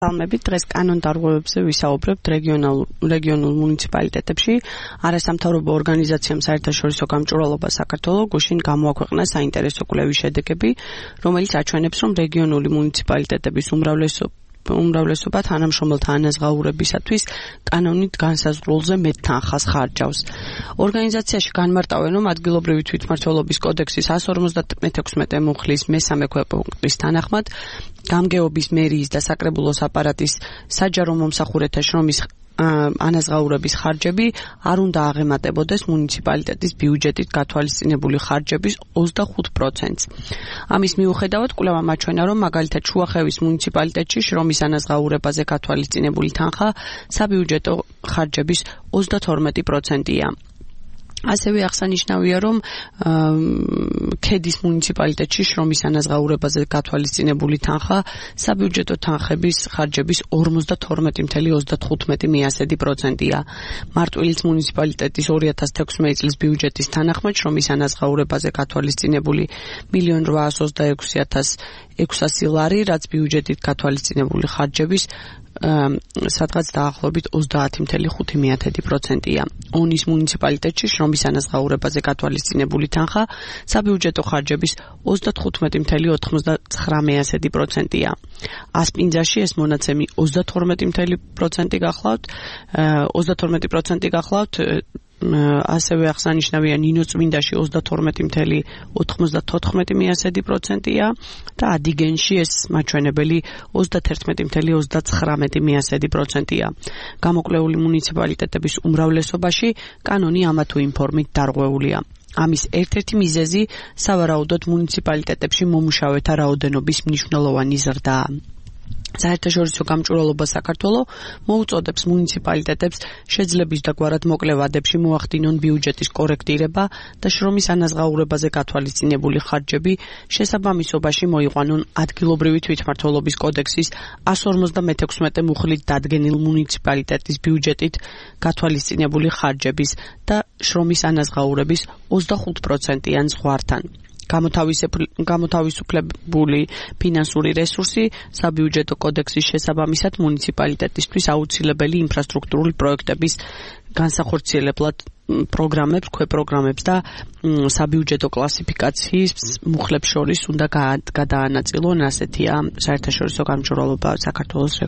Almebit დღეს კანონდარღვევებზე ვისაუბრებთ რეგიონულ მუნიციპალიტეტებში. არასამთავრობო ორგანიზაციამ საერთაშორისო გამჭვირვალობა საქართველოს გუშინ გამოაქვეყნა საინტერესო კვლევის შედეგები, რომელიც აჩვენებს, რომ რეგიონული მუნიციპალიტეტების უმრავლესობა თანამშრომელთა ანაზღაურებისათვის კანონით განსაზღვრულზე მეტ თანხას ხარჯავს. ორგანიზაციაში განმარტავენ, რომ ადგილობრივი თვითმმართველობის კოდექსის 156 მუხლის მესამე ქვეპუნქტის თანახმად გამგეობის მერიის და საკრებულოს აპარატის საჯარო მომსახურეთა შრომის ანაზღაურების ხარჯები არ უნდა აღემატებოდეს მუნიციპალიტეტის ბიუჯეტით გათვალისწინებული ხარჯების 25%-ს. ამის მიუხედავად, კვლევამ აჩვენა, რომ მაგალითად შუახევის მუნიციპალიტეტში შრომის ანაზღაურებაზე გათვალისწინებული თანხა საბიუჯეტო ხარჯების 32%-ია. ასევე აღსანიშნავია, რომ ქედის მუნიციპალიტეტში შრომის ანაზღაურებაზე გათვალისწინებული თანხა საბიუჯეტო თანხების ხარჯების 52.35%-ია. მარტვილის მუნიციპალიტეტის 2016 წლის ბიუჯეტის თანახმად შრომის ანაზღაურებაზე გათვალისწინებული 1.826.600 ლარი, რაც ბიუჯეტით გათვალისწინებული ხარჯების სადღაც დაახლოებით 30.5%-ია. ონის მუნიციპალიტეტში შრომის ანაზღაურებაზე გათვალისწინებული თანხა საბიუჯეტო ხარჯების 35.99%-ია. ასპინძაში ეს მონაცემი 32% გახლავთ, ასევე აღსანიშნავია ნინოწმინდაში 32.94%-ია და ადიგენში ეს მაჩვენებელი 31.39%-ია. გამოკვლეული მუნიციპალიტეტების უმრავლესობაში კანონი ამა თუ იმ ფორმით დარღვეულია. ამის ერთ-ერთი მიზეზი სავარაუდოდ მუნიციპალიტეტებში მომუშავეთა რაოდენობის მნიშვნელოვანი ზრდაა. საერთაშორისო გამჭვირვალობა საქართველოს მოუწოდებს მუნიციპალიტეტებს შეძლების და გვარად მოკლე ვადებში მოახდინონ ბიუჯეტის კორექტირება და შრომის ანაზღაურებაზე გათვალისწინებული ხარჯები შესაბამისობაში მოიყვანონ ადგილობრივი თვითმმართველობის კოდექსის 156 მუხლით დადგენილ მუნიციპალიტეტის ბიუჯეტით გათვალისწინებული ხარჯების და შრომის ანაზღაურების 25%-იან ზღვართან. გამოთავისუფლებული ფინანსური რესურსი საბიუჯეტო კოდექსის შესაბამისად მუნიციპალიტეტისთვის აუცილებელი ინფრასტრუქტურული პროექტების განსახორციელებლად პროგრამებს, ქვეპროგრამებს და საბიუჯეტო კლასიფიკაციის მუხლებს შორის უნდა გადაანაწილონ, ასეთია საერთაშორისო გამჭვირვალობა საქართველოს